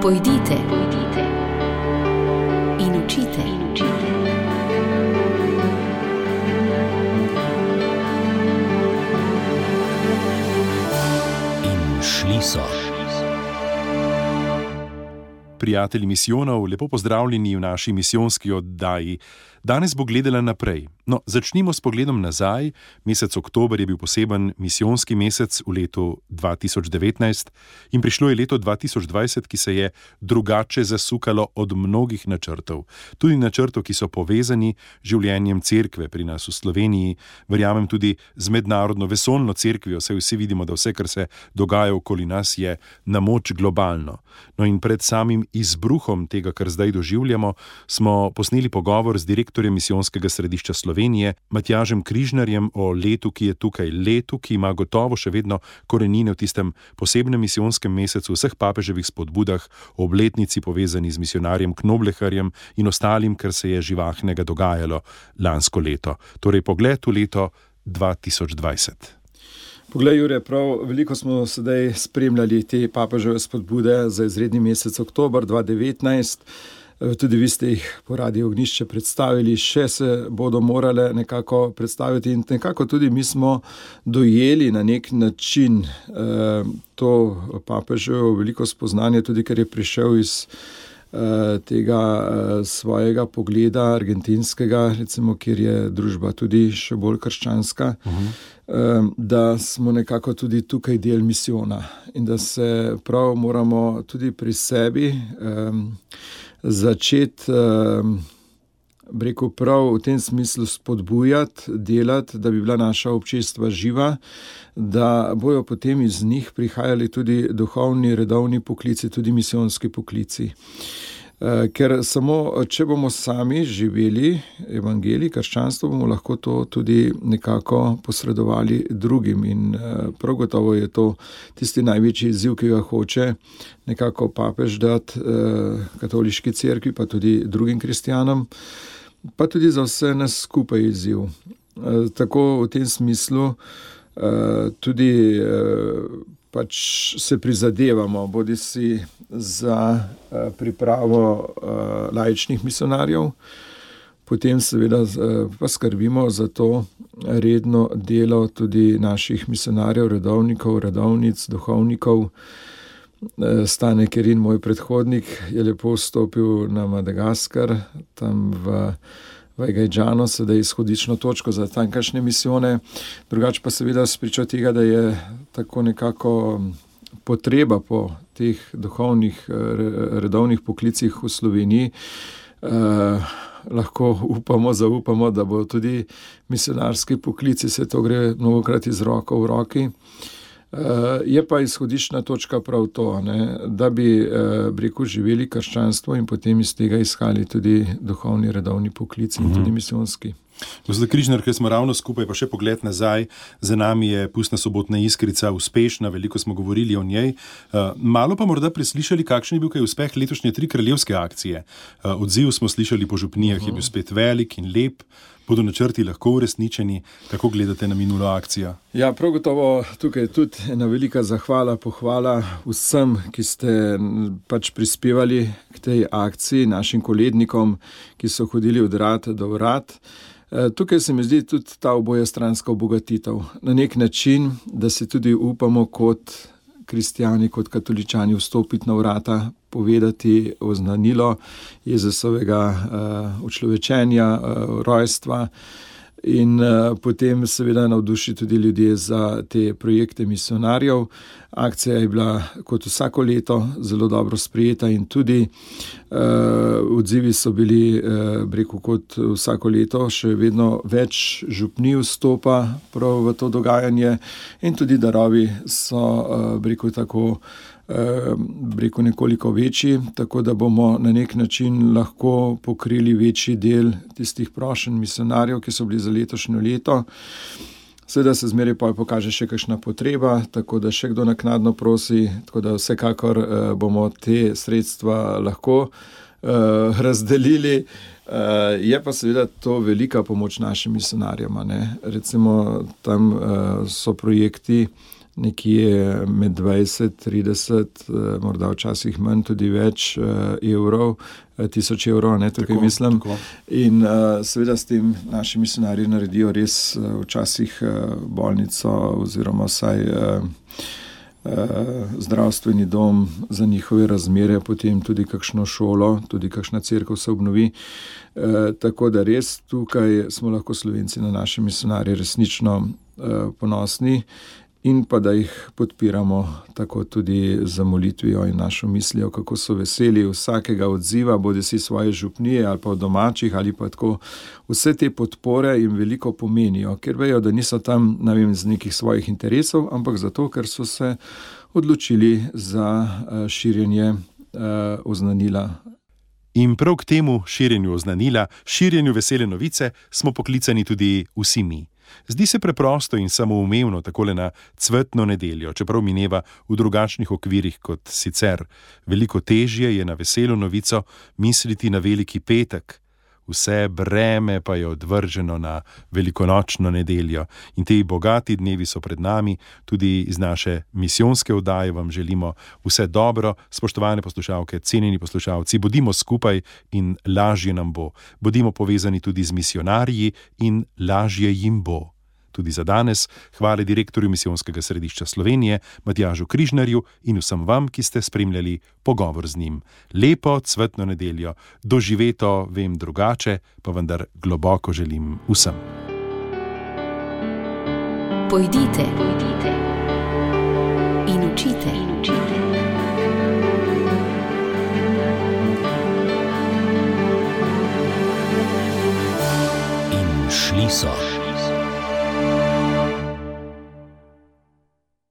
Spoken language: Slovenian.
Pojdite in učite. In šli so. Prijatelji misijonov, lepo pozdravljeni v naši misijonski oddaji. Danes bo gledala naprej. No, začnimo s pogledom nazaj. Mesec oktober je bil poseben misijonski mesec v letu 2019 in prišlo je leto 2020, ki se je drugače zasukalo od mnogih načrtov. Tudi načrtov, ki so povezani z življenjem cerkve pri nas v Sloveniji, verjamem tudi z mednarodno vesoljno cerkvijo, saj vsi vidimo, da vse, kar se dogaja okoli nas, je na moč globalno. No in pred samim izbruhom tega, kar zdaj doživljamo, smo posneli pogovor z direktorjem misijonskega središča Slovenije, Matjažem Križnarjem, o letu, ki je tukaj, letu, ki ima gotovo še vedno korenine v tistem posebnem misijonskem mesecu, vseh papeževih spodbudah, obletnici povezani z misijonarjem Knobleharjem in ostalim, kar se je živahnega dogajalo lansko leto. Torej pogled v leto 2020. Poglej, Jure, prav veliko smo sedaj spremljali te papeževe spodbude za izredni mesec oktober 2019. Tudi vi ste jih po Radiu Ognjišče predstavili, še se bodo morale nekako predstaviti in nekako tudi mi smo dojeli na nek način to papeževo veliko spoznanje, tudi ker je prišel iz tega svojega pogleda argentinskega, recimo, kjer je družba tudi še bolj krščanska, da smo nekako tudi tukaj del misijona in da se prav moramo tudi pri sebi začeti, prav v tem smislu spodbujati, delati, da bi bila naša občestva živa, da bojo potem iz njih prihajali tudi duhovni, redovni poklici, tudi misijonski poklici. Ker samo, če bomo sami živeli evangelij, krščanstvo, bomo lahko to tudi nekako posredovali drugim in prav gotovo je to tisti največji izziv, ki ga hoče nekako papež dati katoliški cerkvi, pa tudi drugim kristjanom, pa tudi za vse nas skupaj izziv. Tako v tem smislu tudi pač se prizadevamo, bodisi za pripravo laičnih misionarjev, potem seveda pa skrbimo za to redno delo tudi naših misionarjev, redovnikov, redovnic, duhovnikov. Stane Kerin, moj predhodnik, je lepo vstopil na Madagaskar, tam v Gajdžano, sedaj izhodično točko za tamkajšnje misijone. Drugače pa seveda spričo tega, da je tako nekako potreba po teh duhovnih, redovnih poklicih v Sloveniji, lahko zaupamo, da bo tudi misionarski poklici, se to gre mnogokrat iz roko v roki. Je pa izhodišna točka prav to, da bi živeli krščanstvo in potem iz tega izhali tudi duhovni, redovni poklici in tudi misijonski. Gospod Križnar, ker smo ravno skupaj, pa še pogled nazaj, za nami je Pustna sobotna iskrica uspešna, veliko smo govorili o njej. Malo pa morda preslišali, kakšen je bil kaj uspeh letošnje 3 kraljevske akcije. Odziv smo slišali po župnijah, je bil spet velik in lep. Bodo načrti lahko uresničeni? Kako gledate na minulo akcijo? Ja, prav gotovo tukaj tudi ena velika zahvala, pohvala vsem, ki ste pač prispevali k tej akciji, našim kolednikom, ki so hodili od vrat do vrat. Tukaj se mi zdi tudi ta obojestranska obogatitev. Na nek način, da si tudi upamo kot kristjani, kot katoličani vstopiti na vrata, povedati oznanilo Jezusovega učlovečenja, rojstva in potem seveda navduši tudi ljudje za te projekte misionarjev. Akcija je bila kot vsako leto zelo dobro sprejeta in tudi odzivi so bili, kot vsako leto, še vedno več župnij vstopa prav v to dogajanje in tudi darovi so, tako nekoliko večji, tako da bomo na nek način lahko pokrili večji del tistih prošenj misionarjev, ki so bili za letošnjo leto. Seveda se zmeraj pokaže še kakšna potreba, tako da še kdo naknadno prosi, tako da vsekakor bomo te sredstva lahko razdelili. Je pa seveda to velika pomoč našim misionarjem. Recimo tam so projekti nekje med 20, 30, morda včasih manj, tudi več evrov, 1000 evrov, ne, tukaj tako, mislim. Tako. In seveda s tem naši misionarji naredijo res včasih bolnico oziroma vsaj zdravstveni dom za njihove razmere, potem tudi kakšno šolo, tudi kakšna cerkev se obnovi. Tako da res tukaj smo lahko Slovenci na naše misionarje resnično ponosni in pa da jih podpiramo tako tudi za molitvijo in našo mislijo, kako so veseli vsakega odziva, bodisi svoje župnije ali pa domačih ali pa tako. Vse te podpore jim veliko pomenijo, ker vejo, da niso tam, ne vem, z nekih svojih interesov, ampak zato, ker so se odločili za širjenje oznanila. In prav k temu širjenju oznanila, širjenju vesele novice smo poklicani tudi vsi mi. Zdi se preprosto in samoumevno takole na cvetno nedeljo, čeprav mineva v drugačnih okvirih kot sicer. Veliko težje je na veselo novico misliti na veliki petek. Vse breme pa je odvrženo na velikonočno nedeljo. In te bogati dnevi so pred nami, tudi iz naše misijonske oddaje vam želimo vse dobro, spoštovane poslušalke, cenjeni poslušalci, bodimo skupaj in lažje nam bo. Bodimo povezani tudi z misionarji in lažje jim bo. Tudi za danes hvala direktorju Misijonskega središča Slovenije, Matjažu Križnarju in vsem vam, ki ste spremljali pogovor z njim. Lepo cvetno nedeljo, doživeto vem drugače, pa vendar globoko želim vsem. Pojdite in učite.